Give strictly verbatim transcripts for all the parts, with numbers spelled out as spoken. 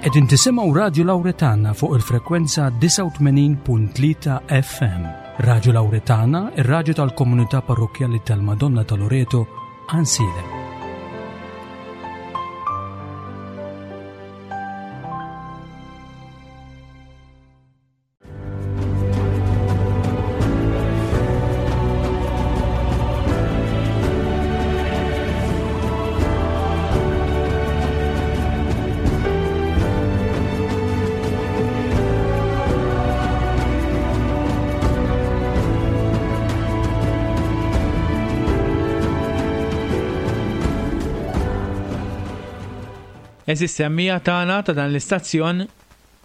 Qegħdin tisimgħu Radju Lawretana fuq il-frekwenza disgħa u tmenin punt tlieta F M. Radju Lawretana, ir-radju tal-komunità parrokkjali tal-Madonna ta' Loreto, Għajnsielem. Eżis semmija tagħna ta' dan l-istazzjon,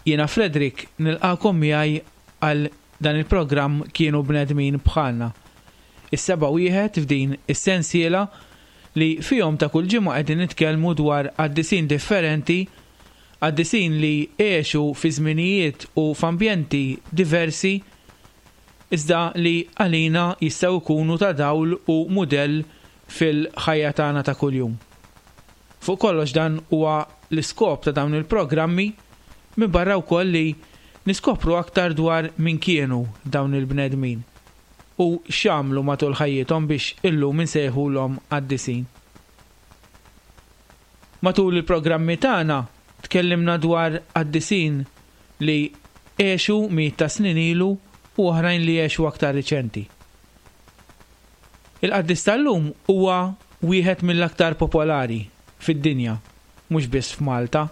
jiena Frederick nilqakom miegħi għal dan il-programm Kienu Bnedmin Bħalna. Is-seba' wieħed f'din is-sensiela li fihom ta' kull ġimgħa qegħdin nitkellmu dwar qaddisin differenti, qaddisin li għexu fi żminijiet u f'ambjenti diversi, iżda li għalina jistgħu jkunu ta' dawl u mudell fil-ħajja tagħna ta' kuljum. Fuq kollox dan huwa l-iskop ta' dawn il-programmi, minn barra wkoll li niskopru aktar dwar min kienu dawn il-bnedmin u x'għamlu matul ħajjithom biex illum insejħulhom qaddisin. Matul il-programmi tagħna tkellimna dwar qaddisin li għexu mijiet ta' snin ilu u oħrajn li għexu aktar riċenti. Il-qaddis tal-lum huwa wieħed mill-aktar popolari fid-dinja, mhux biss f'Malta.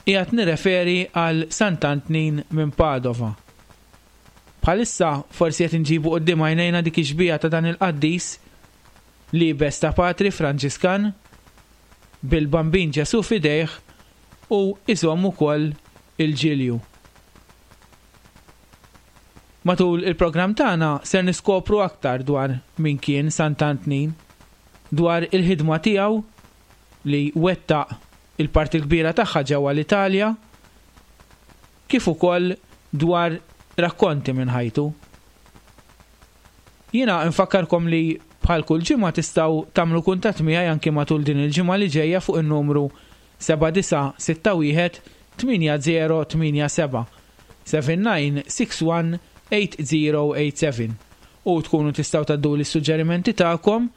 Qiegħed nirreferi għal Sant'Antnin minn Padova. Bħalissa forsi qed inġibu quddiem għajnejna dik ix-xbieha ta' dan il-qaddis liebes ta' Patri Franġiskan bil-Bambin Ġesu f'idejh u iżomm ukoll il-ġilju. Matul il-programm tagħna ser niskopru aktar dwar min kien Sant'Antnin, dwar il-ħidma tiegħu li wettaq il-parti l-kbira tagħha ġewwa l-Italja, kif ukoll dwar rakkonti minn ħajtu. Jiena nfakkarkom li bħal kull ġimgħa tistgħu tagħmlu kuntatt miegħi anki matul din il-ġimgħa li ġejja fuq in-numru seba' disa' sitta wieħed tmienja zero tmienja seba', seven nine six one eight zero eight seven, u tkunu tistgħu tgħadduli s-suġġerimenti tagħkom,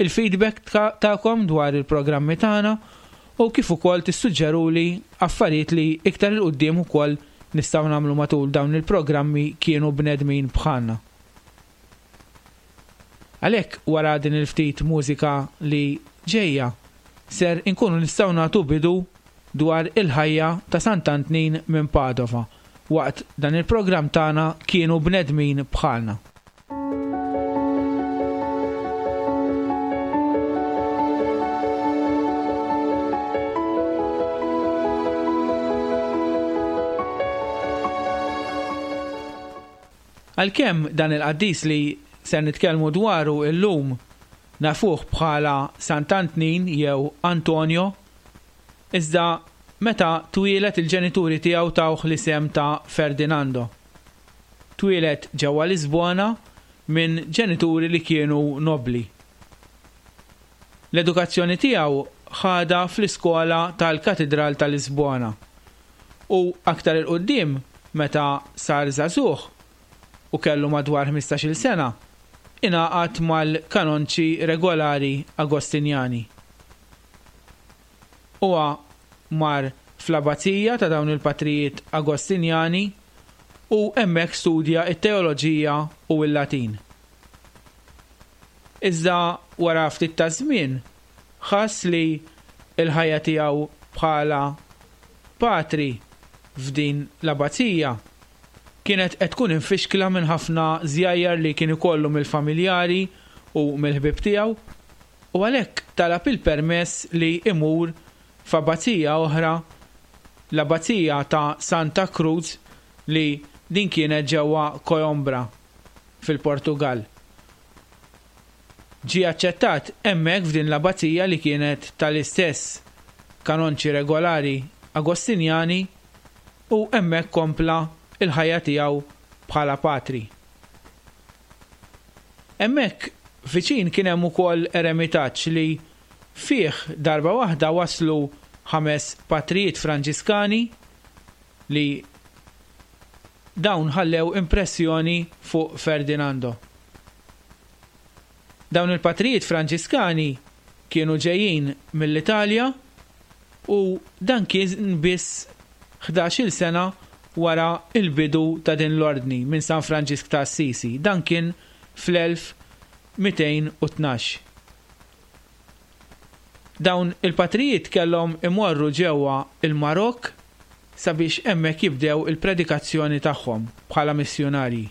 il-feedback ta-, tagħkom dwar il-programmi tagħna u kif ukoll tissuġġeruli affarijiet li iktar il quddiem ukoll nistgħu nagħmlu matul dawn il-programmi Kienu Bnedmin Bħalna. Għalhekk wara din il-ftit mużika li ġejja ser inkunu nistgħu nagħtu bidu dwar il-ħajja ta' Sant'Antnin minn Padova waqt dan il-programm tagħna Kienu Bnedmin Bħalna. Għalkemm dan il-qaddis li ser nitkellmu dwaru illum nafuh bħala Sant'Antnin jew Antonio, iżda meta twieled il-ġenituri tiegħu tawh l-isem ta' Ferdinando. Twieled ġewwa Lisbona minn ġenituri li kienu nobli. L-edukazzjoni tiegħu ħadha fl-iskola tal-Katidral ta' Lisbona u aktar il-qudiem meta sar żagħżugħ u kellu madwar ħmistax-il sena, ingħaqad mal-kanonċi regolari Agostinjani. Huwa mar fl-abbazija ta' dawn il-patrijiet Agostinjani u hemmhekk studja t-teoloġija u l-Latin. Iżda wara ftit ta' żmien ħass li l-ħajja tiegħu bħala patri f'din l-abbazija kienet qed tkun infixkla minn ħafna żjajjar li kien ikollu mill-familjari u mill-ħbieb tiegħu, u għalhekk talab il-permess li imur f'abbazija oħra, l-abbazija ta' Santa Cruz li din kienet ġewwa Coimbra fil-Portugal. Ġie aċċettat hemmhekk f'din l-abbazija li kienet tal-istess kanonċi regolari Agostinjani u hemmhekk kompla il-ħajja tiegħu bħala patri. Hemmhekk viċin kien hemm ukoll eremitaġġ li fih darba waħda waslu ħames patrijiet Franġiskani li dawn ħallew impressjoni fuq Ferdinando. Dawn il-patrijiet Franġiskani kienu ġejjin mill-Italja u dan kien biss ħdax-il sena wara il-bidu ta' din l-ordni minn San Franġisk ta' Assisi. Dan kien fl-elf mitejn u tnax. Dawn il-patrijiet kellhom imorru ġewwa il-Marokk sabiex hemmhekk jibdew il-predikazzjoni tagħhom bħala missjunarji.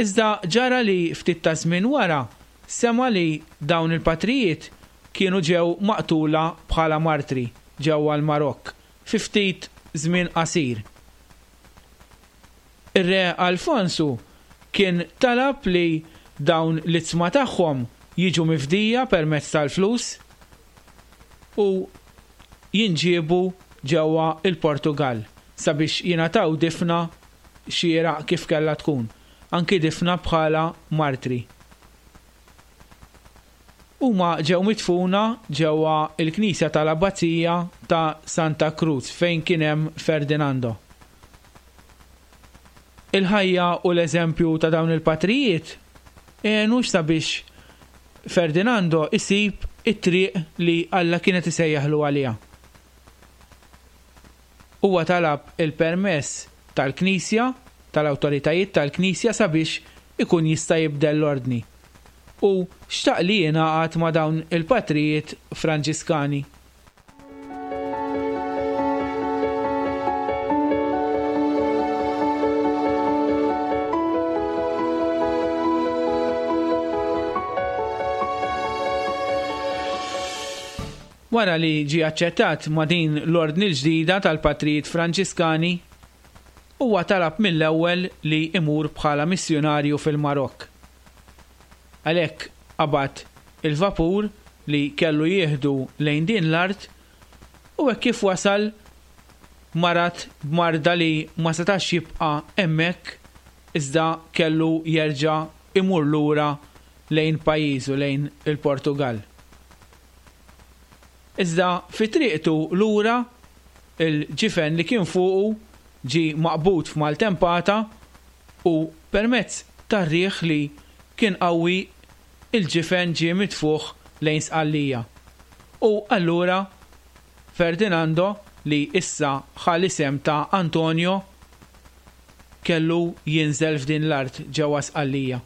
Iżda ġara li ftit ta' żmien wara sema li dawn il-patrijiet kienu ġew maqtula bħala martri ġewwa l-Marokk fi ftit żmien qasir. Ir-re Alfonsu kien talab li dawn l-itzma tagħhom jiġu mifdija permezz tal-flus u jinġiebu ġewwa il-Portugal sabiex jingħataw difna xieraq kif kellha tkun, anki difna bħala martri. Huma ġew midfuna ġewwa il-Knisja tal-Abbazija ta' Santa Cruz fejn kien hemm Ferdinando. Il-ħajja u l-eżempju ta' dawn il-patrijiet għenu sabiex Ferdinando isib it-triq li Alla kienet isejjaħlu għaliha. Huwa talab il-permess tal-Knisja, tal-awtoritajiet tal-Knisja sabiex ikun jista' jibdel l-ordni. U xtaq li jingħaqad ma' dawn il-patrijiet Franġiskani. Wara li ġie aċċettat ma' din l-ordni l-ġdida tal-patrijiet Franġiskani, huwa talab mill-ewwel li imur bħala missjunarju fil-Marokk. Għalhekk qabad il-vapur li kellu jieħdu lejn din l-art u hekk kif wasal marad b'marda li ma setax jibqa' hemmhekk iżda kellu jerġa' imur lura lejn pajjiżu, lejn il-Portugal. Iżda fi triqtu lura il-ġifen li kien fuqu ġie maqbud f'maltempata u permezz tar-riħ li kien qawwi il-ġifen ġie mitfuħ lejn Sqallija. U allura Ferdinando, li issa ħa l-isem ta' Antonio, kellu jinżel f'din l-art ġewwa Sqallija.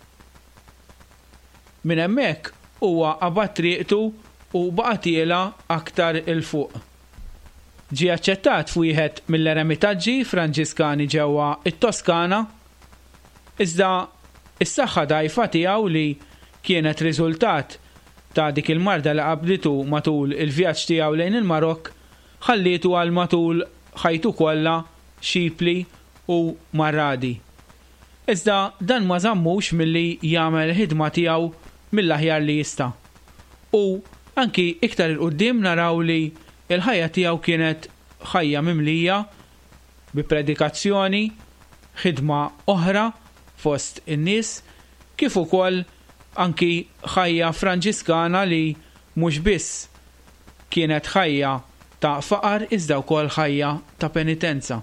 Minn hemmhekk huwa qabad triqtu u baqa' tiela aktar il fuq. Ġie aċċettat f'wieħed mill-eremitaġġi Franġiskani ġewwa it-Toskana, iżda is-saħħa dgħajfa tiegħu li kienet riżultat ta' dik il-marda li qabditu matul il-vjaġġ tiegħu lejn il-Marokk ħallietu għal matul ħajtu kollha xipli u marradi. Iżda dan ma żammux milli jagħmel ħidma tiegħu mill-aħjar li jista'. U anki iktar il quddiem naraw li l-ħajja tiegħu kienet ħajja mimlija bi predikazzjoni, ħidma oħra fost in-nies, kif ukoll anki ħajja Franġiskana li mhux biss kienet ħajja ta' faqar iżda wkoll ħajja ta' penitenza.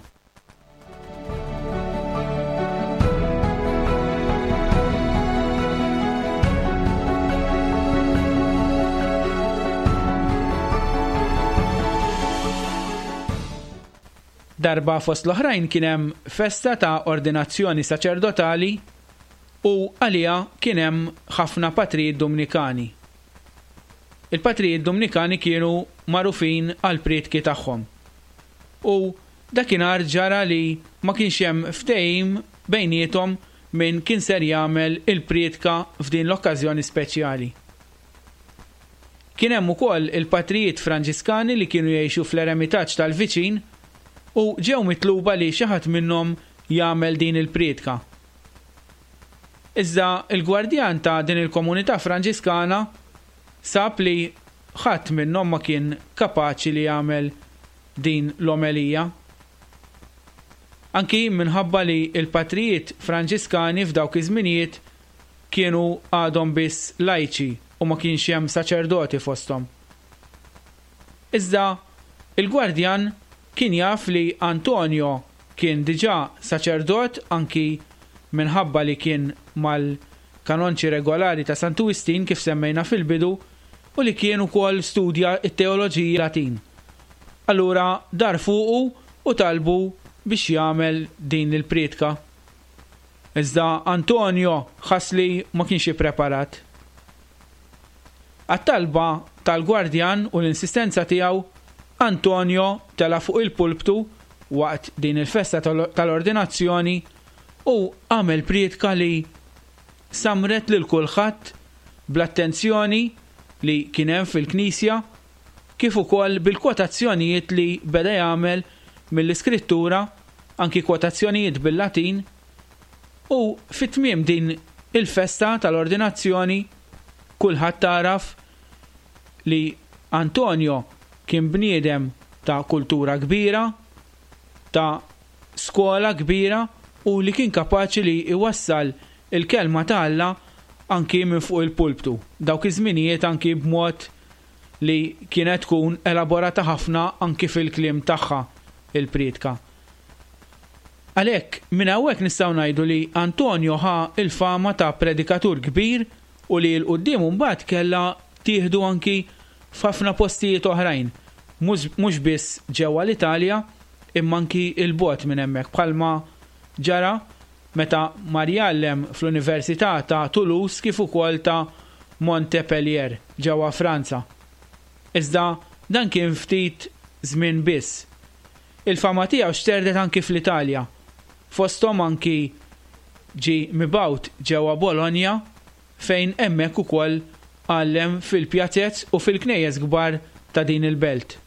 Darba fost l-oħrajn kien hemm festa ta' ordinazzjoni saċerdotali u għaliha kien hemm ħafna patrijiet Dumnikani. Il-patrijiet Dumnikani kienu magħrufin għal prietki tagħhom. U dakinhar ġara li ma kienx hemm ftehim bejniethom min kien ser jagħmel il-prietka f'din l-okkażjoni speċjali. Kien hemm ukoll il-patrijiet Franġiskani li kienu jgħixu fl-eremitaġġ tal-viċin u ġew mitluba li xi ħadd minnhom jagħmel din il-prietka. Iżda il-gwardjan ta' din il-komunità Franġiskana sab li ħadd minnhom ma kien kapaċi li jagħmel din l-omelija. Anki minħabba li l-patrijiet Franġiskani f'dawk iż-żminijiet kienu għadhom biss lajċi u ma kienx hemm saċerdoti fosthom. Iżda il-gwardjan kien jaf li Antonio kien diġà saċerdot anki minħabba li kien mal-kanonċi regolari ta' Santu Wistin kif semmejna fil-bidu u li kien ukoll studja t-teoloġija Latin. Allura dar fuqu u talbu biex jagħmel din il-prietka. Iżda Antonio ħass li ma kienx ippreparat. Għat-talba tal-gwardjan u l-insistenza tiegħu, Antonio tela' fuq il-pulptu waqt din il-festa tal-ordinazzjoni u għamel prietka li samret lil kulħadd bl-attenzjoni li kien hemm fil-knisja kif ukoll bil-kwotazzjonijiet li beda jagħmel mill-iskrittura, anki kwotazzjonijiet bil-Latin, u fit-tmiem din il-festa tal-ordinazzjoni kulħadd taraf li Antonio kien bniedem ta' kultura kbira, ta' skola kbira u li kien kapaċi li iwassal il-kelma ta' Alla anki minn fuq il-pulptu. Dawk iż-żminijiet anki b'mod li kienet tkun elaborata ħafna anki fil-kliem tagħha il-prietka. Għalhekk minn hawnhekk nistgħu ngħidu li Antonio ħa il-fama ta' predikatur kbir u li l-quddiem mbagħad kellha tieħdu anki f'ħafna postijiet oħrajn, mhux biss ġewwa l-Italja imma anki il-bogħod minn hemmhekk, bħalma ġara meta mar jgħallem fl-Università ta' Toulouse kif ukoll ta' Montpellier ġewwa Franza. Iżda dan kien ftit żmien biss. Il-fama tiegħu xterdet anki fl-Italja, fosthom anki ġie mibgħut ġewwa Bologna fejn hemmhekk ukoll għallem fil-pjazez u fil-knejjes kbar ta' din il-belt.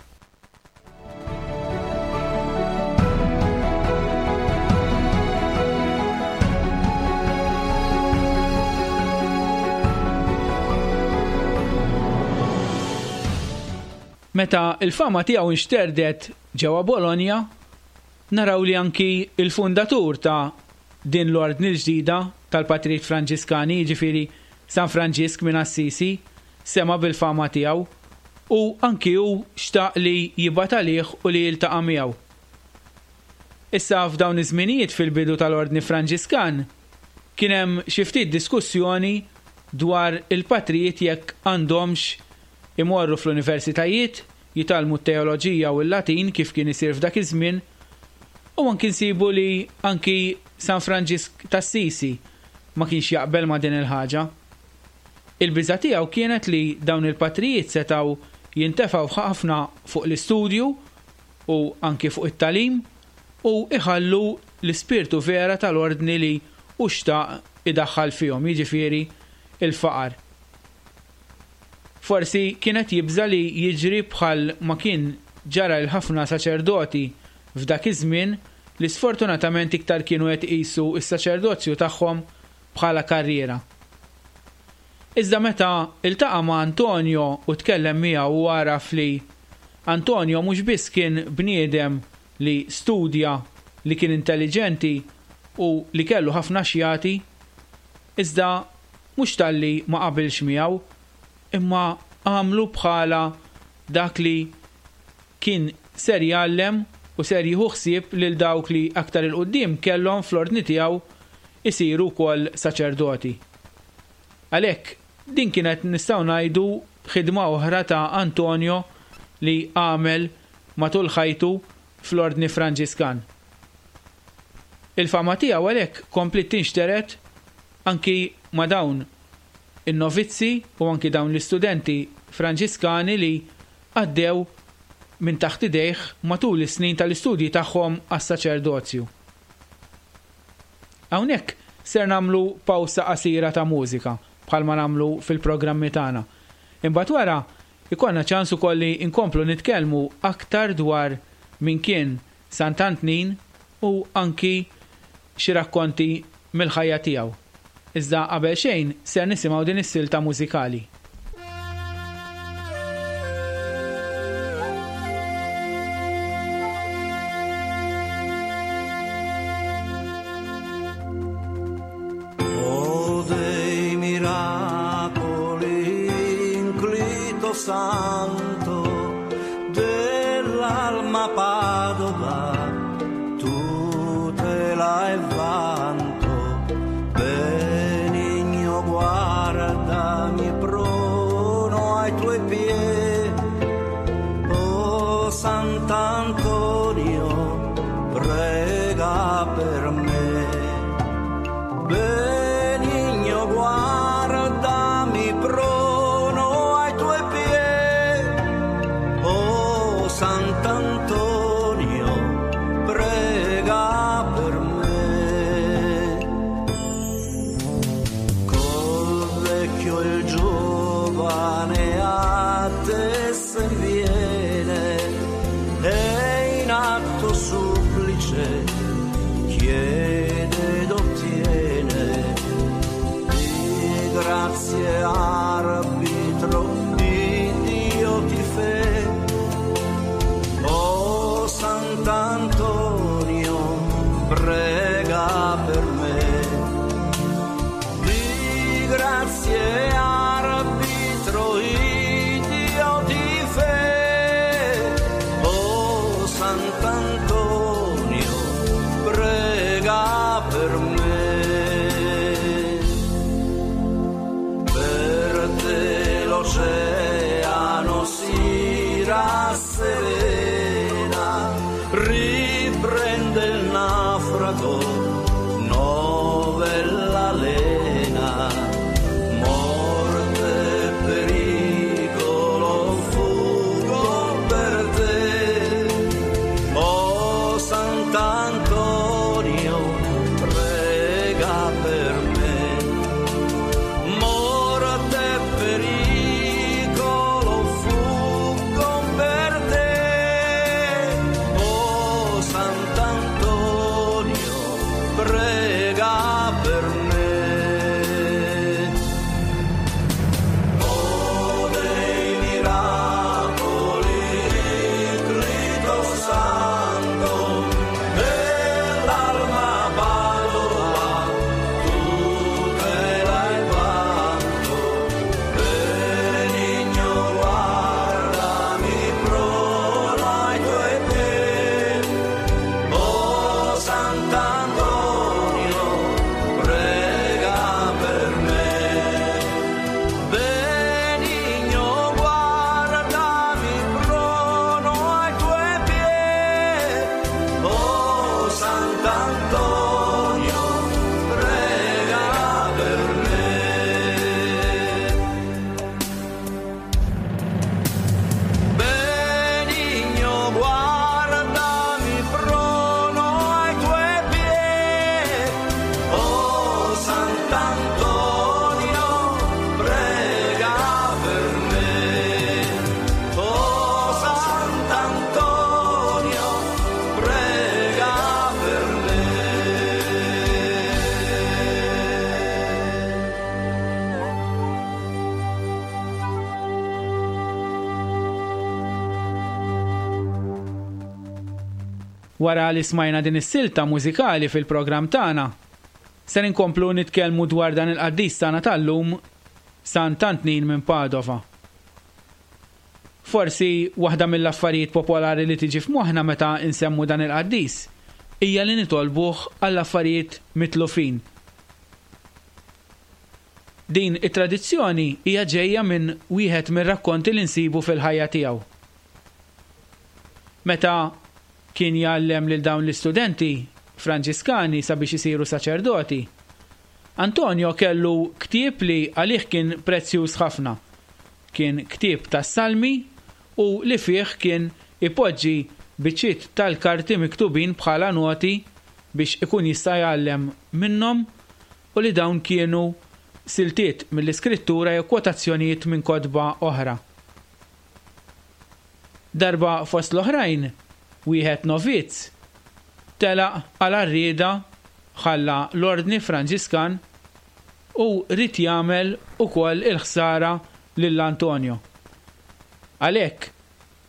Meta il-fama tiegħu nxterdet ġewwa Bologna, naraw li anki il-fundatur ta' din l-ordni l-ġdida tal-Patrijiet Franġiskani, jiġifieri San Franġisk minn Assisi, sema bil-fama tiegħu u anki hu xtaq li jibgħat għalih u li jiltaqa' miegħu. Issa f'dawn iż-żminijiet fil-bidu tal-Ordni Franġiskan kien hemm xi ftit diskussjoni dwar il-patrijiet jekk għandhomx imorru fl-universitajiet, jitgħallmu t-teoloġija u l-Latin kif kien isir f'dak iż-żmien, u anki nsibu li anki San Franġisk t'Assisi ma kienx jaqbel ma' din il-ħaġa. Il-biża' tiegħu kienet li dawn il-patrijiet setgħu jintefgħu ħafna fuq l-istudju u anki fuq it-talim u iħallu l-ispirtu vera tal-ordni li hu xtaq idaħħal fihom, jiġifieri il-faqar. Forsi kienet jibża li jiġri bħal ma kien ġara l ħafna saċerdoti f'dak iż-żmien li sfortunatament iktar kienu qed iqisu s-saċerdozju tagħhom bħala karriera. Iżda meta iltaqa' ma' Antonio u tkellem miegħu u għaraf li Antonio mhux biss kien bniedem li studja, li kien intelligenti u li kellu ħafna xjati, iżda mhux talli ma qabilx miegħu, imma għamlu bħala dak li kien ser jgħallem u ser jieħu ħsieb lil dawk li aktar il-qudiem kellhom fl-ordni tiegħu isiru wkoll saċerdoti. Għalhekk din kienet nistgħu ngħidu ħidma oħra ta' Antonio li għamel matul ħajtu fl-Ordni Franġiskan. Il-fama tiegħu għalhekk kompliet tinxteret anki ma' dawn in-novizzi u anki dawn l-istudenti Franġiskani li għaddew minn taħt idejh matul is-snin tal-istudji tagħhom għas-saċerdozju. Hawnhekk ser nagħmlu pawsa qasira ta' mużika bħalma nagħmlu fil-programmi tagħna. Imbagħad wara ikollna ċans ukoll li nkomplu nitkellmu aktar dwar min kien Sant'Antnin u anki xi rakkonti mill-ħajja tiegħu. Iżda qabel xejn ser nisimgħu din is-silta mużikali. O dei miracoli, inclito santo, dei Dell'alma Padova, tutela e vanto, benigno guardami prono ai tuoi piedi. Oh Sant'Antonio, prega per me. Benigno guardami prono ai tuoi piedi. Oh Sant'Antonio, prega per me. Col vecchio e il giovane a te se viene, e in atto supplice chiede ed ottiene. Di grazie arbitro di Dio ti fe. Oh Sant'Antonio, prega per me. Di grazie arbitro Dio ti fe. Oh Sant'Antonio, prega per me. Per te l'oceano si rasserena, riprende il naufrago novella lena. Morte, pericolo, fugo per te. Oh Sant'Antonio, prega per me. Morte, pericolo, fuggo per te. Oh Sant'Antonio, prega per me. Oh dei miracoli, Cristo Santo, dell'alma Padova, tutela e vanto, benigno guardami prono ai tuoi piedi. Oh Sant'Antonio, prega per me. Benigno guardami prono ai tuoi piedi. Oh Sant'Antonio, prega per me. Benigno guardami prono ai tuoi piedi. Oh Sant'Antonio, prega per me. Oh Sant'Antonio, prega per me. Wara li smajna din is-silta mużikali fil-programm tagħna, se inkomplu nitkellmu dwar dan il-qaddis tagħna tal-lum, Sant'Antnin minn Padova. Forsi waħda mill-affarijiet popolari li tiġi f'moħħna meta nsemmu dan il-qaddis hija li nitolbuh għall-affarijiet mitlufin. Din it-tradizzjoni hija ġejja minn wieħed mir-rakkonti li nsibu fil-ħajja tiegħu. Meta kien jgħallem lil dawn l-istudenti Franġiskani sabiex isiru saċerdoti, Antonio kellu ktieb li għalih kien prezzjuż ħafna. Kien ktieb tas-salmi u li fih kien ipoġġi biċċiet tal-karti miktubin bħala noti biex ikun jista' jgħallem minnhom, u li dawn kienu siltiet mill-iskrittura jew kwotazzjonijiet minn kotba oħra. Darba fost l-oħrajn, wieħed novizz telaq għal arrieda, ħalla l-ordni Franġiskan u ried jagħmel ukoll il-ħsara lil Antonio. Għalhekk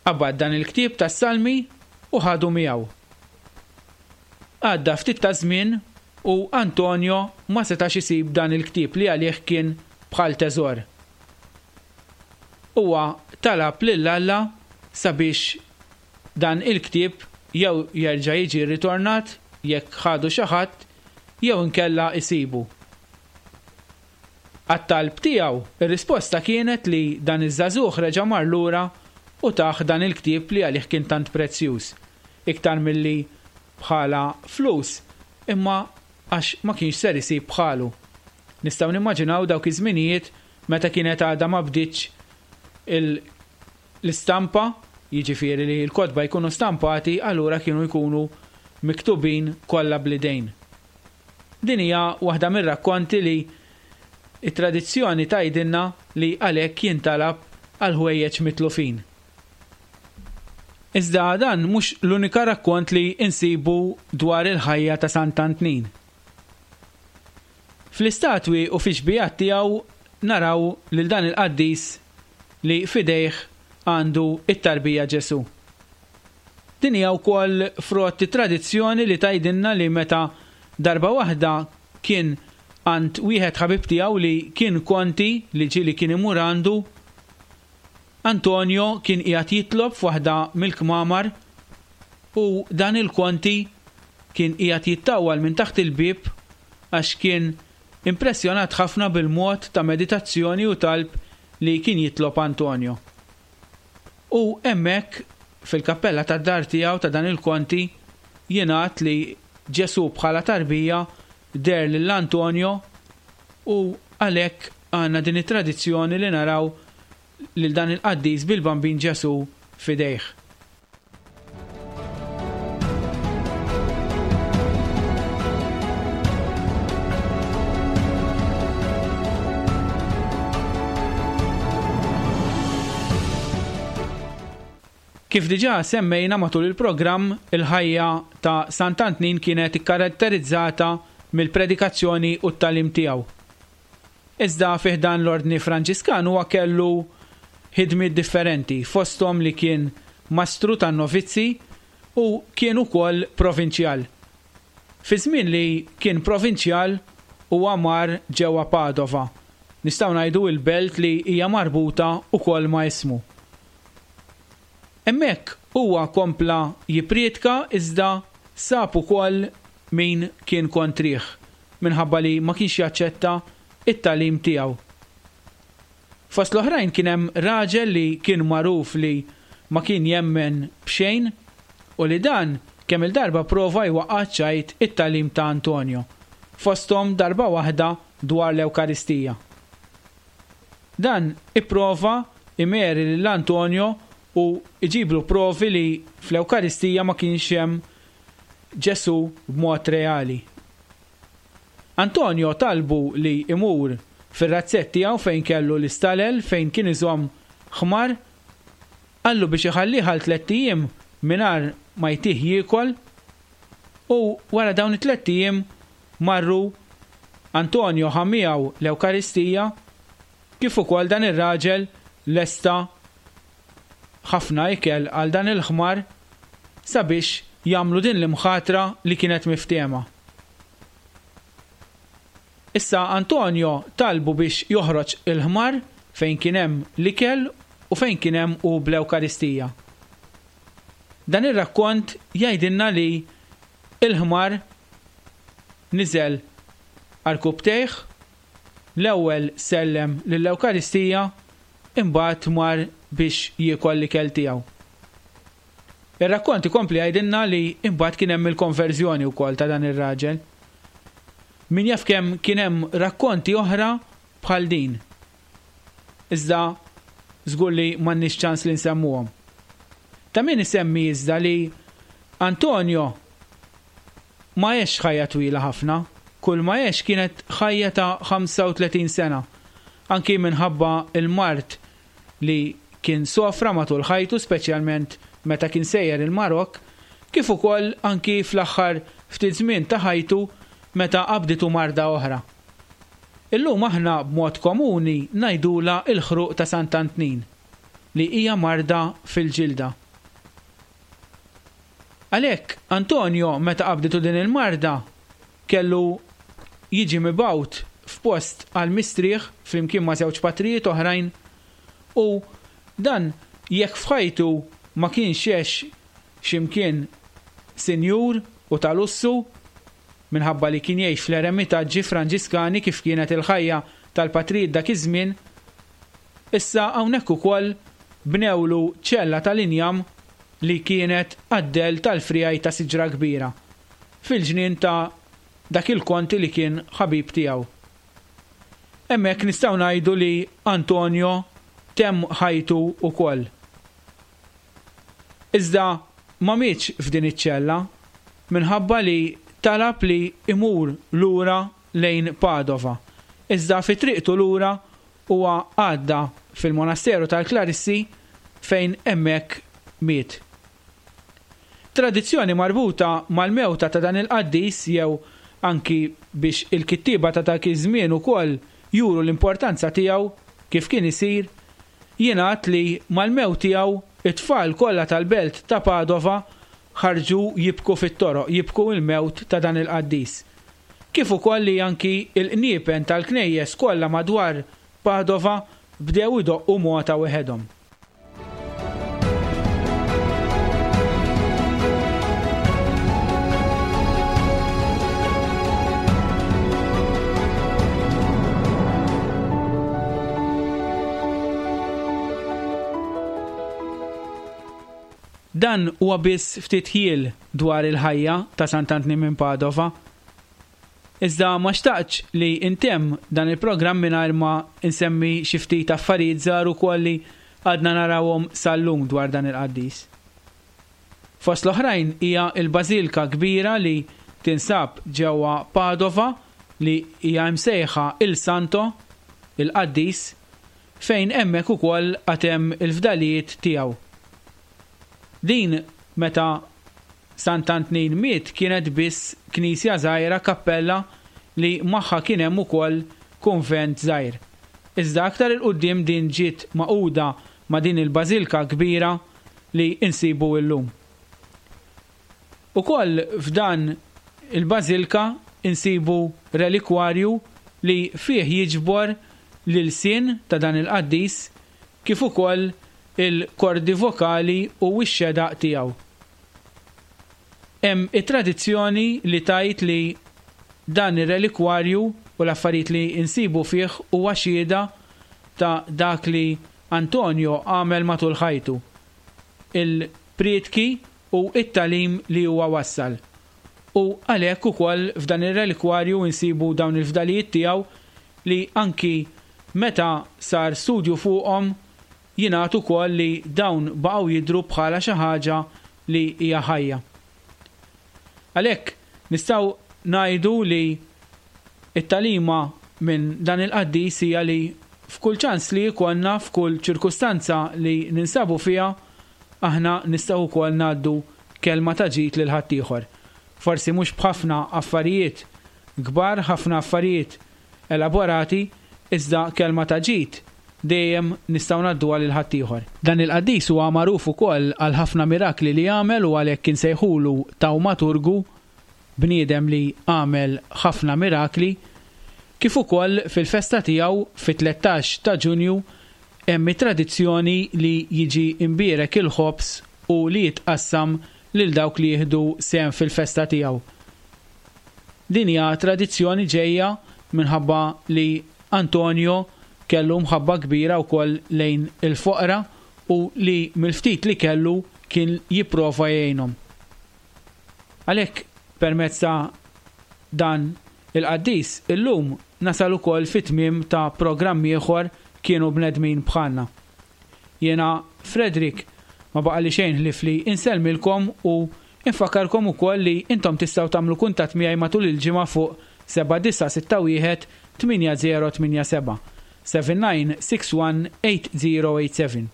qabad dan il-ktieb tas-salmi u ħadu miegħu. Għadda ftit ta' żmien u Antonio ma setax isib dan il-ktieb li għalih kien bħal teżor. Huwa talab lil Alla sabiex dan il-ktieb jew jerġa' jiġi rritornat jekk ħadu xi ħadd jew inkella isibu. Għat-talb tiegħu, ir-risposta kienet li dan iż-żagħżugħ reġa' mar lura u tah dan il-ktieb li għalih kien tant prezzjuż, iktar milli bħala flus, imma għax ma kienx ser isib bħalu. Nistgħu nimmaġinaw dawk iż-żminijiet meta kienet għadha ma bdietx l-istampa, jiġifieri li l-kotba jkunu stampati, allura kienu jkunu miktubin kollha bl-idejn. Din hija waħda mir-rakkonti li it-tradizzjoni tgħidilna li għalhekk jintalab għal ħwejjeġ mitlufin. Iżda dan mhux l-unika rakkont li insibu dwar il-ħajja ta' Sant'Antnin. Fl-istatwi u fix-xbihat tiegħu naraw lil dan il-qaddis li f'idejh għandu it-tarbija Ġesù. Din hija wkoll frott tradizzjoni li tgħidilna li meta darba waħda kien għand wieħed ħabib tiegħu li kien konti li ġieli kien imur għandu, Antonio kien qiegħed jitlob f'waħda mill-kmamar u dan il-konti kien qiegħed jittawwal minn taħt il-bieb għax kien impressjonat ħafna bil-mod ta' meditazzjoni u talb li kien jitlob Antonio. U hemmhekk fil-kappella tad-dar tiegħu ta' dan il-konti jingħad li Ġesù bħala tarbija deher lil Antonio u għalhekk għandna din it-tradizzjoni li naraw lil dan il-qaddis bil-Bambin Ġesù f'idejh. Kif diġà semmejna matul il-programm, il-ħajja ta' Sant'Antnin kienet ikkaratterizzata mill-predikazzjoni u t-tagħlim tiegħu. Iżda fih dan l-Ordni Franġiskan huwa kellu ħidmiet differenti, fosthom li kien mastru tan-novizzi u kien ukoll provinċjal. Fi żmien li kien provinċjal huwa mar ġewwa Padova. Nistgħu ngħidu l-belt li hija marbuta wkoll ma' ismu. Hemmhekk huwa kompla jippriedka iżda sab ukoll min kien kontrih minħabba li ma kienx jaċċetta it-tagħlim tiegħu. Fost l-oħrajn kien hemm raġel li kien magħruf li ma kien jemmen b'xejn u li dan kemm il-darba prova jwaqqa' ċajt it-tagħlim ta' Antonio, fosthom darba waħda dwar l-Ewkaristija. Dan ipprova imeri lil Antonio u iġiblu provi li fl-Ewkaristija ma kienx hemm Ġesù b'mod reali. Antonio talbu li imur fir-razzett tiegħu fejn kellu l-istalel fejn kien iżomm ħmar, qallu biex iħallih għal tlett ijiem mingħajr ma jtih jiekol, u wara dawn it-tlett ijiem marru Antonio ħa miegħu l-Ewkaristija kif ukoll dan ir-raġel lesta ħafna ikel għal dan il-ħmar sabiex jagħmlu din l-imħatra li kienet miftehma. Issa Antonio talbu biex joħroġ il-ħmar fejn kien hemm l-ikel u fejn kien hemm u bl-Ewkaristija. Dan ir-rakkont jgħidilna li il-ħmar niżel għarkupptejh, l-ewwel sellem lill-Ewkaristija, imbagħad mar biex jiekol l-ikel tiegħu. Ir-rakkont ikompli jgħidilna li imbagħad kien hemm il-konverżjoni wkoll ta' dan ir-raġel. Min jaf kemm kien hemm rakkonti oħra bħal din. Iżda żgur li m'għandniex ċans li nsemmuhom. Ta' min isemmi iżda li Antonio ma għex ħajja twila ħafna, kull ma għex kienet ħajja ta' ħamsa u tletin sena, anki minħabba il-mard li kien sofra matul ħajtu, speċjalment meta kien sejjer il-Marok, kif ukoll anki fl-aħħar ftit żmien ta' ħajtu meta qabditu marda oħra. Illum aħna b'mod komuni ngħidulha l-ħruq ta' Sant'Antnin, li hija marda fil-ġilda. Għalhekk Antonio meta qabditu din il-marda kellu jiġi mibgħut f'post għal mistrieħ flimkien ma' żewġ patrijiet oħrajn, u dan jekk f'ħajtu ma kienx għex x'imkien sinjur u ta' lussu minħabba li kien jgħix fl-eremitaġġi Franġiskani kif kienet il-ħajja tal-patrijiet dak iż-żmien, issa hawnhekk ukoll bnewlu ċella tal-injam li kienet għad-dell tal-frijaj ta' siġra kbira fil-ġnien ta' dak il-konti li kien ħabib tiegħu. Hemmhekk nistgħu ngħidu li Antonio temm ħajtu ukoll. Iżda ma mietx f'din iċ-ċella minħabba li talab li imur lura lejn Padova. Iżda fi triqtu lura huwa għadda fil-monasteru tal-Klarissi fejn hemmhekk miet. Tradizzjoni marbuta mal-mewta ta' dan il-qaddis jew anki biex il-kittieba ta' dak iż-żmien ukoll juru l-importanza tiegħu kif kien isir, jingħad li mal-mewt tiegħu it-tfal kollha tal-belt ta' Padova ħarġu jibku fit-toroq, jibku l-mewt ta' dan il-qaddis. Kif ukoll li anki l-qniepen tal-knejjes kollha madwar Padova bdew idoqqu mota weħedhom. Dan huwa biss ftit ħjiel dwar il-ħajja ta' Sant'Antnin minn Padova. Iżda ma xtaqtx li intemm dan il-programm mingħajr ma nsemmi xi ftit affarijiet żgħar ukoll li għadna narawhom sal-lum dwar dan il-qaddis. Fost l-oħrajn hija l-bażilka kbira li tinsab ġewwa Padova li hija msejħa Il Santo, il-qaddis, fejn hemmhekk ukoll għad hemm il-fdalijiet tiegħu. Din meta Sant'Antnin miet kienet biss knisja żgħira, kappella li magħha kien hemm ukoll kunvent żgħir. Iżda aktar il quddiem din ġiet maquda ma' din il-bażilka kbira li insibu llum. Ukoll f'dan il-bażilka insibu relikwarju li fih jiġbor l-ilsien ta' dan il-qaddis kif ukoll il-kordi vokali u x-xedaq tiegħu. Hemm it-tradizzjoni li tgħid li dan ir-relikwarju u l-affarijiet li insibu fih huwa xhieda ta' dak li Antonio għamel matul ħajtu, il-prietki u it-talim li huwa wassal. U għalhekk ukoll f'dan ir-relikwarju insibu dawn il-fdalijiet tiegħu li anki meta sar studju fuqhom jingħad ukoll li dawn baqgħu jidhru bħala xi ħaġa li hija ħajja. Għalhekk nistgħu ngħidu li t-talima minn dan il-qaddis hija li f'kull ċans li jkollna, f'kull ċirkustanza li ninsabu fiha, aħna nistgħu wkoll ngħaddu kelma ta' ġid lil ħaddieħor. Forsi mhux b'ħafna affarijiet kbar, ħafna affarijiet elaborati, iżda kelma ta' ġid dejjem nistgħu ngħadduha lil ħaddieħor. Dan il-qaddis huwa magħruf ukoll għal ħafna mirakli li għamel u għalhekk insejħulu tawmaturgu, bniedem li għamel ħafna mirakli, kif ukoll fil-festa tiegħu fit-tlettax ta' Ġunju hemm it-tradizzjoni li jiġi imbierek il-ħobż u li jitqassam lil dawk li jieħdu sehem fil-festa tiegħu. Din hija tradizzjoni ġejja minħabba li Antonio kellu mħabba kbira wkoll lejn il-foqra u li mill-ftit li kellu kien jipprova jgħinhom. Għalhekk permezz ta' dan il-qaddis illum nasal ukoll fit-tmiem ta' programm ieħor Kienu Bnedmin Bħalna. Jiena Frederick ma baqali xejn ħlief li insellmilkom u infakarkom ukoll li intom tistgħu tagħmlu kuntatt miegħi matul il-ġimgħa fuq seba' disa' sitta wieħed tmienja zero tmienja seba', seven nine six one eight zero eight seven.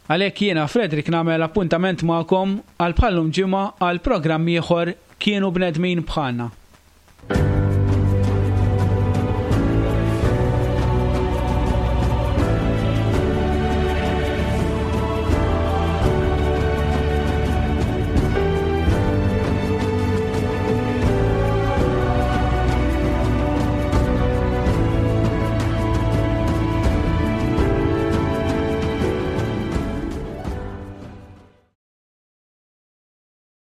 Għalhekk jiena Frederick nagħmel appuntament magħkom għal bħallum ġimgħa għal programm ieħor Kienu Bnedmin Bħalna.